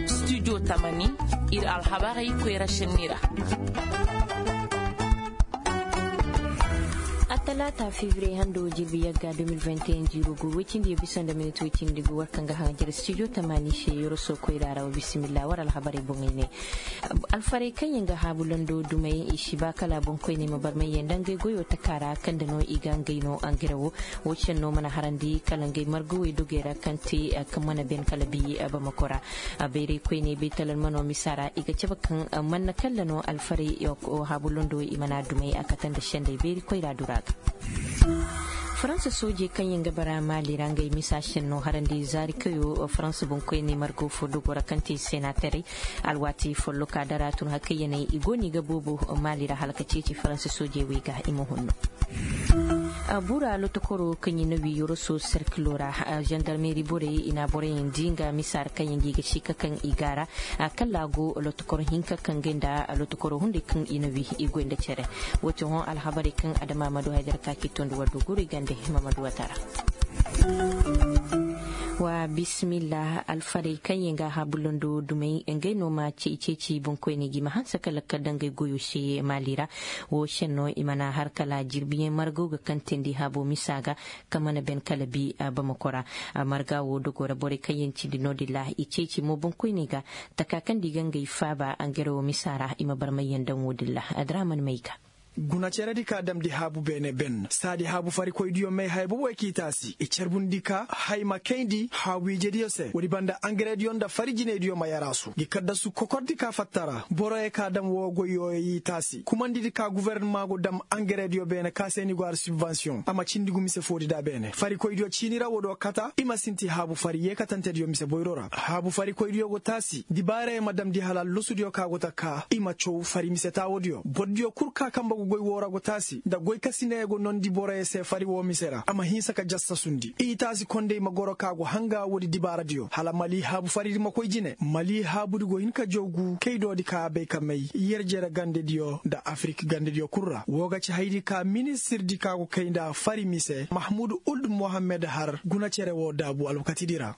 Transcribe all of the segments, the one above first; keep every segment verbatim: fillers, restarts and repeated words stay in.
Studio tamani, ir alhabarey koyra senni ra. Attalaata febriye hando jirbi yagga deux mille vingt et un jiiro gu woy cindi ya bisa nda minit woy cindi gu war kaŋ ga haŋ jere studio tamani se yoroso koyra ra wa bisimilla war alhabarey boŋey ne. Alfarey kaŋ yaŋ ga haabu londo dumey i si ba kala boŋkoyney ma barmay yaŋ nda ngey goyo taka ra kaŋ nda no i ga ngey no angare wo. Wo senno mana harandi kala ngey margawey dogey ra kaŋ te kaŋ mana ben kala bi bamako ra. Bayraykoyney baytalalmano misa ra i ga cabe kaŋ manna kalla no alfarey haabu londo i mana dumey a kate nda sendey bayrikoyra dura ga. Faransa soojey kaŋ yaŋ ga bara maali ra ngey misa senno harandi zaari kayo faransa boŋkoyney margo fo dogo ra kaŋ te senaterey. Alwaati folloka dara tun hakayyaney i go no i ga boobo maali ra hala ka ceeci faransa soojey wey ga i ma hunno. Bura lotokoro kaŋ i na wi yoroso serkilo ra zandarmeri borey i na a boroyaŋ di nga misa ra kaŋ yaŋ ga i ga si ka kaŋ i gaara. Kalla go lotokoro hinka kaŋ ga nda lotokoro hunday kaŋ i na wi i goy nda cere. Wo ti hõ alhabarey kaŋ adama ma du haydara ka k'i tondi war du guray gande. Mamadu watara. Wa bisimilla alfarey kaŋ yaŋ ga haabu londo dumey ngey no ma cey ceeci boŋkoyney ga i ma hanse ka lakkal daŋ ngey goyo se maali ra. Wo senno i mana har kala jirbiyaŋ margo ga kantandi haabo misa ga. Kaŋ mana ben kala bi bamako ra. Marga wo dogo ra borey kaŋ yaŋ cindi no-din ra i ceeci mo boŋkoyney ga. Taka kaŋ nda i ga ngey faaba angare wo misa ra i ma barmayyaŋ daŋ wo-din ra. Adraaman may ga. Gunaceredi ka damndi haabu beene ben saadi haabu farikoydiyo may haya boboyo k'i taasi i carbundi ka hay ma kayndi haabu ijediyo se woodi banda angarediyo nda fari jinaydiyo ma yaraasu ngi kaddasu kokordi ka fatta ra boroyo ka dam woo goy yooyo y'i taasi kumandidi ka gufornama go dam angarediyo beene ka se ni go har sibbansiyoŋ a ma cindi gu mise foodi nda beene farikoydiyo ciini ra woodiyo kata i ma sinti haabu fari yeekatantediyo mise boyro ra haabu farikoydiyo go taasi dibaarayo ma damndi hala allosudiyo ka go ta kaa i ma caw fari mise taawoodiyo bordiyo kul ka kambe go goy woo ra go taasi nda goykasiney go noondi boroyo se fari woo mise ra a ma hinsa ka jassasundi i taasi kondey ma goro ka go hanga woodi dibaaradiyo hala mali haabu faridi ma koy jine mali haabudi go hin ka jawgu kaydoodi ka a bay ka may yer jere gandediyo nda afirik gandediyo kul ra woo ga ci haydi ka ministirdi ka go kay nda fari mise mahmud uld mohammed har guna cere woo daabu alwakatidi ra.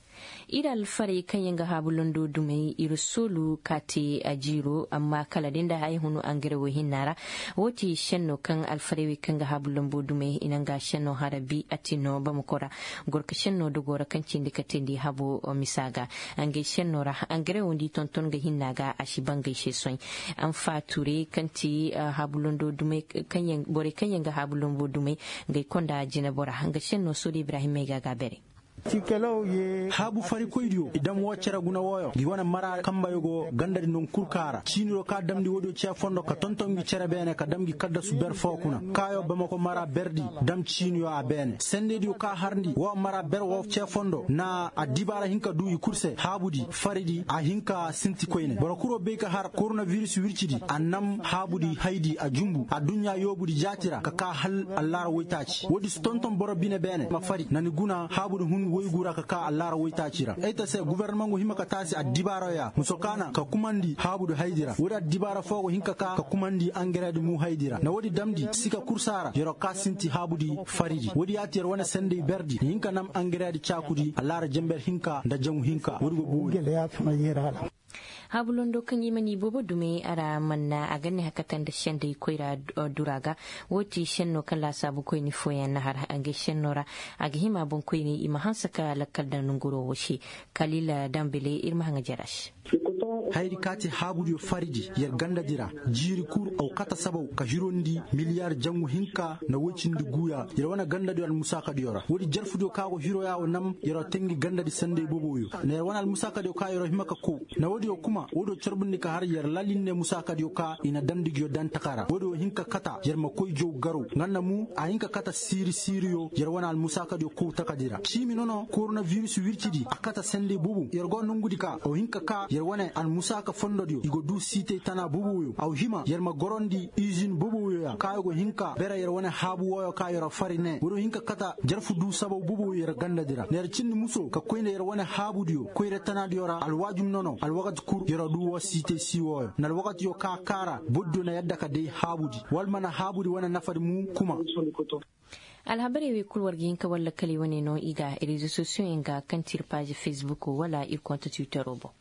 Ir alfarey kaŋ yaŋ ga haabu londo dumey ir soolu ka te a jiiro amma kala day nda haya hunu angare wo hinna ra. Wo ti senno kaŋ alfarey wey kaŋ ga haabu lombo dumey i na nga senno harabi a ti no bamako ra. Gorka senno dogo ra kaŋ cindi ka teendi habo misa ga. Ngey senno ra angare wo nda i tonton ga hinna ga a si bangay se soy. Anfa ture kaŋ ti haabu londo dumey borey kaŋ yaŋ ga haabu lombo dumey. Ngey konda jinabo ra nga senno soodi ibrahim may ga ga bere. Haabu farikoydiyo i dam woo cere guna wooyo ngi wane mara kambeyo go gandadi non kul ka ra ciiniyo ka damndi woodiyo cee fondo ka tonton ngi cere beene ka dam ngi kaddasu ber foo kuna kaayo bamako mara berdi dam ciiniyo a beene sendeydiyo ka harndi woo mara ber woo cee fondo na addibaara hin ka duu i kul se haabudi faridi a hin ka sinti koyne boro kuloo bay ka har koronabiris wircidi a nam haabudi haydi a junbu aduɲɲa yoobudi jaati ra ka kaa hal allaara woytaaci woodi si tonton boro bine beene ma fari na ni guna haabudi hun woygu ra ka kaa allaara woytaaci ra ay ta se gofornamaŋ go hima ka taasi addibaaraya muso kaana ka kumandi haabudi haydi ra woodi addibaara foo go hin ka kaa ka kumandi angareedi muu haydi ra nda woodi damndi sika kursaa ra yer'o kaa sinti haabudi faridi woodi yaati yer wane sendey berdi na hin ka nam angareedi caakudi allaara jenber hinka nda jaŋu hinka woodi go boori. Haabu londo kaŋ i mana i boobo dumey a ra manna a ga ne hakata nda sendey koyra dura ga. Wo ti senno kaŋ laasaabu koyni fooyaŋ na har ngey senno ra a ga hima boŋkoyney i ma hanse ka lakkal daŋ nonguroo wo se. Kalila dambele ir ma haŋa jere a se. Hayadi ka ti haabudiyo faridi yer gandadi ra jiiri kul aw kate sabaw ka hirondi miliyar jaŋu hinka nda woy cindi guuya yer wane gandadiyo almusaakadiyo ra woodi jarfudiyo ka go hiroya wo nam yer wo te ngi gandadi sendey boboyo nda yer wane almusaakadiyo ka yer wo hima ka kow nda woodiyo kuma woodiyo carbundi ka har yer lalinne musaakadiyo ka i na damndi nguyo daŋ taka ra woodiyo hin ka kata yer ma koy jaw garaw nga nda mu a hin ka kata siiri siiriyo yer wane almusaakadiyo kow takadi ra ciimi nono koronabiris wircidi a kata sendey bobo yer go nongudi ka aw hin ka ka yer wane almusaaka fondodiyo i go duu siitey tana boboyo aw hima yer ma gorondi izin boboyo ya ka i go hin ka bere yer wane haabu wooyo ka yer fari ne woodiyo hin ka kata jarfu duu sabaw boboyo yer gandadi ra nda yer cindi muso ka koy nda yer wane haabudiyo koyra tanadiyo ra alwaajum nono alwakati kul yer duu woo siitey sii wooyo nda alwakatiyo ka kaara bordiyo na yadda ka day haabudi wala mana haabudi wane nafadi mu kuma. Alhabarey wey kul war ga hin ka war lakkaley wane no i ga rezo sosiyoŋ yaŋ ga kaŋ ti ir paazi fesbuk wala ir konta tiwitero boŋ.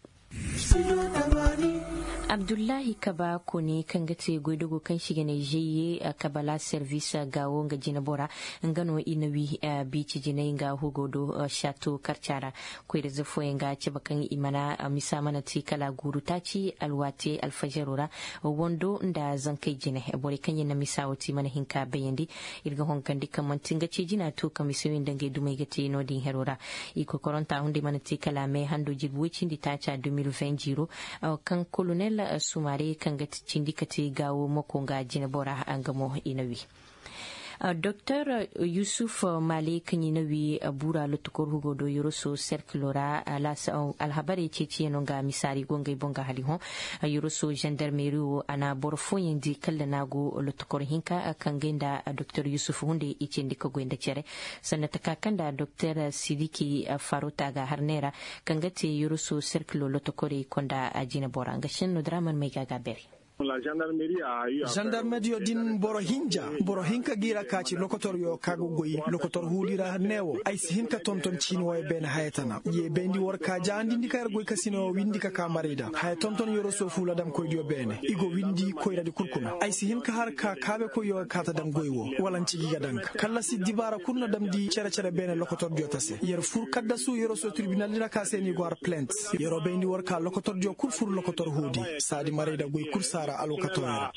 Abdullahi kaba kone kaŋ ga te goydogo kaŋ se i ga ne žeye kabala servis gaawo nga jinebora, nga no i na wi biici jinay nga hugo do. Sato karca ra koyra ze fooyaŋ ga cabe kaŋ i mana misa mana te kala guuru taaci alwaate alfajaro ra. Wando nda zankey jine borey kaŋ yaŋ na misa wo te i mana hin ka bayandi. Ir ga hongandi kaŋ manti nga ce jina to ka misa wey nda ngey dumey ga te no- din hero ra. I kokoranta hunday mana te kala me hando jirbi woy cindi taaca deux mille vingt jiiro, kaŋ kolonel sumare kaŋ ga cindi ka te gaawo mako nga jinebora nga mo i na wi. Doktor yusuf male kaŋ i na wi buura lotokor hugo do yoroso serkilo ra. Alhabarey ceeciyaŋo nga misaari go ngey boŋ ga hali hõ. Yoroso zandarmeri wo a na boro fooyaŋ di kalla no a go lotokor hinka kaŋ gay nda doktor yusuf hunday i cindi ka goy nda cere. Sanda taka kaŋ nda doktor sidiki farota ga har neera kaŋ ga te yoroso serkilo lotokorey konda jinebora nga senno draman may ga ga bere. Zandarmeriyo din boro hinja boro hinka g'i ra ka ci lokotoryo ka ga goy lokotor huudi ra ne wo ay si hin ka tonton ciini wooyo beene haya tana ye bayndi war ka jaandindi ka yer goy ka sina wo windi ka ka maray da haya tonton yoroso fuula damkoydiyo beene i go windi koyradi kul kuna ay si hin ka har ka kaabekoyyo ga ka ta daŋ goy wo wala nci gi ga daŋ ga kallasi dibaara kul na damndi cere-cere beene lokotordiyo ta se yer fur kaddasu yoroso tirbinaldi ra ka se no i go har plent. Yer'o bayndi war ka lokotordiyo kul fur lokotor huudi saadi maray nda goy kul saara alwakatoo ra.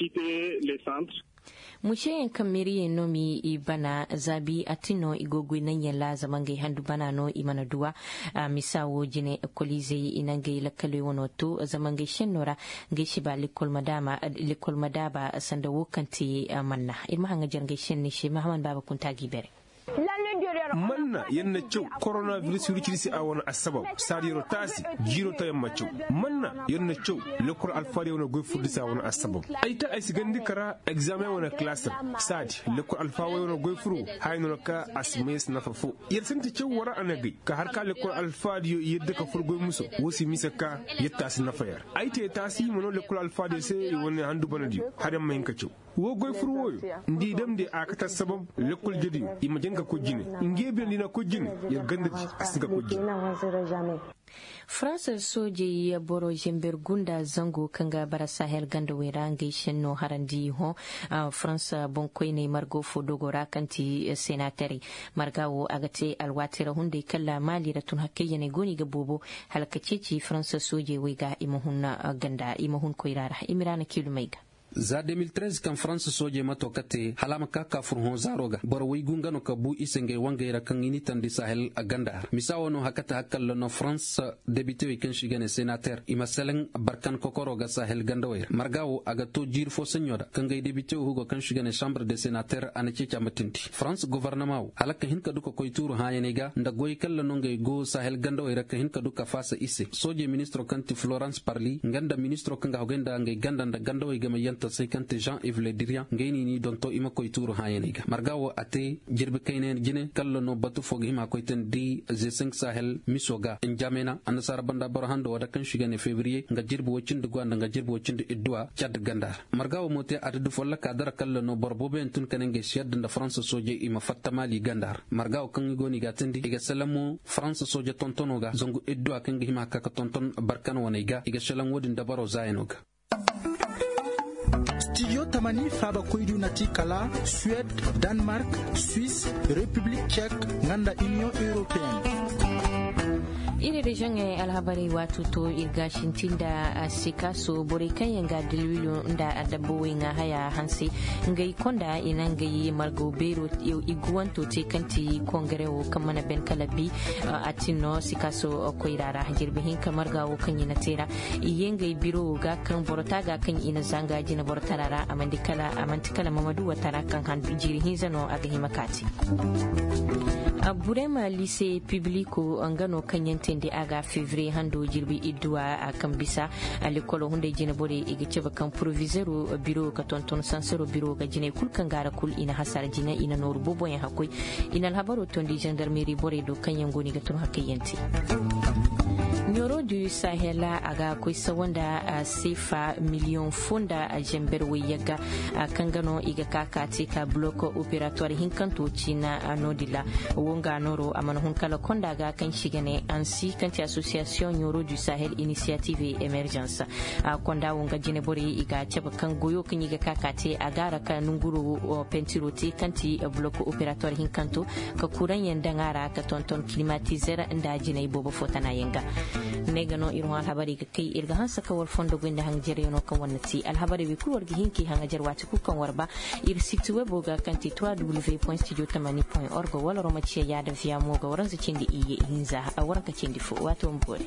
Museyaŋ kaŋ meeriyey no m'i bana zaabi a ti no i go goy naŋyaŋ ra zama ngey handu bana no i mana duw'a. Misa wo jine kolizey i na ngey lakkaley wano to zama ngey senno ra ngey si ba lekkol ma daaba sanda wo kaŋ te manna ir ma haŋajer ngey senne se mahaman baaba kunta g'i bere. Manna yer na caw koronabiris wirciri se a wane assabab saadi yer'o taasi jiiro tayaŋ ma caw. Manna yer na caw lekkol alfaadiyo wane goy furdi se a wane assabab. Ay ta ay si gandi kara egzaameŋ wane kalaas ra saadi lekkol alfaadiyo wane goy furo haya no na ka a si may se nafa fo. Yer sinti caw wara a na gay ka har ka lekkol alfaadiyo yadda ka fur goy muso wo si mise ka yetta a si nafa yer. Ay te taasi i ma no lekkol alfaadiyo se i wane handu banadiyo har yer ma hin ka caw. Woo goy fur wooyo nda i damndi a kate assabab lekkol jediyo i ma jaŋ ka koy jine. Nge bine nda i na koy jine yer gandadi a si hin ka koy jine. Farans soojey boro zember gunda zango kaŋ ga bara sahel gandawey ra ngey senno harandi hõ. Farans boŋkoyney margo fo dogo ra kaŋ ti senaterey marga wo a ga te alwaati ra hunday kala maali ra tun hakkayyaney go no i ga boobo hala ka ceeci farans soojey wey ga i ma hun ganda i ma hun koyra ra i ma i ra na kiilumey ga. Za deux mille treize kaŋ farans soojey mato ka te hala a ma ka ka fur hõ zaaro ga boro woy gu nga no ka bu i se ngey wangey ra kaŋ i n'i tandi sahel ganda ra misa wo no hakate hakalla no farans debitewey kaŋ se i ga ne senater i ma selaŋ barkan kokoro ga sahel gandawey ra marga wo a ga to jiiri fo saɲɲo ra ka ngey debitewey hugo kaŋ se i ga ne sambre de senater a na ceeci a ma tindi farans gobornama wo hala ka hin ka du ka koy tuuru hãayaney ga nda goy kalla no ngey go sahel gandawey ra ka hin ka du ka faasa i se soojey ministiro kaŋ ti florans parli nga nda ministiro kaŋ ga hogay nda ngey ganda nda gandawey game yantasey kaŋ ti jean ive le dirian ngey no i n'i donto i ma koy tuuru hãayaney ga marga wo a te jirbi kayna yaŋ jine kalla no batu fo ga hima koy tandi ze cinq sahel miso ga njamena annasaara banda boro hando wada kaŋ se i ga ne febriye nga jirbi woy cindi guwa nda nga jirbi woy cindi idduwa cad ganda ra marga wo mo te adadu folloka dara kalla no boro booboyaŋ tun ka ne ngey si yadda nda faransa soojey i ma fatta maali ganda ra marga wo kaŋ i go no i ga a tindi i ga selaŋ mo faransa sooje tontono ga zangu idduwa kaŋ ga hima ka ka tonton barkan waney ga i ga selaŋ wo-din dabaro zaayano ga. Studio tamani faabakoydu na ti kala suwed, danmark, suis, repiblik cek, nga nda iniyoŋ europeen. Iri reziyoŋey alhabarey waatu to ir ga sinti nda sikaso borey kaŋ yaŋ ga dilwilo nda adabba wey ŋaa haya hanse ngey konda i na ngey margaw beero i guwanto te kaŋ ti kongare wo kaŋ mana ben kala bi. A tin no sikaso koyra ra jirbi hinka marga wo kaŋ i na te ra i ye ngey biro wo ga kaŋ boro ta ga kaŋ i na zanga jina boro tara ra a manti kala mamadu watara kaŋ handu jiiri hinza no a ga hima kaati. Burema lise pibliko nga no kaŋ yaŋ teendi a ga fevriye hando jirbi idduwa a kaŋ bisa. Lekkolo hunday jina borey i ga cabe kaŋ porovizeero biro ga tonton sansaro biro ga jinay kul kaŋ ga a ra kul i na hasara jina i na nooru booboyaŋ hakkoy. I na alhabaro toondi zandarmeri borey do kaŋ yaŋ go no i ga tun hakkayyaŋ te. Rodu sahela a ga koy sawa nda seefa miliyoŋ fo nda zember wayyagga, kaŋ ga no i ga ka ka te ka bulok operator hinkanto ciina. No- din ra wo nga nooro a mana hun kala konda ga kaŋ si ga ne ansi kaŋ ti association ɲoro du sahel initiative et emergence. Konda wo nga jine borey i ga a cabe kaŋ goyo kaŋ i ga ka ka te a ga a ra ka nonguro pentiro te kaŋ ti bulok operator hinkanto, ka kuraŋyaŋ daŋ a ra ka tonton klimatizer nda jinay boobo fo tanayaŋ ga. Ne ga no ir hõ alhabarey ga kay ir ga hanse ka war fondo goy nda haŋajaryaŋo kaŋ war na te alhabarey wey kulu war ga hin k'i haŋajar waati kulu kaŋ war ba. Ir siti webo ga kaŋ ti trois w point studio tamani point org wala roma ciya yaada viya mo ga waranza cindi iyye ihinza. Waranka cindi fo waati wo ma boori.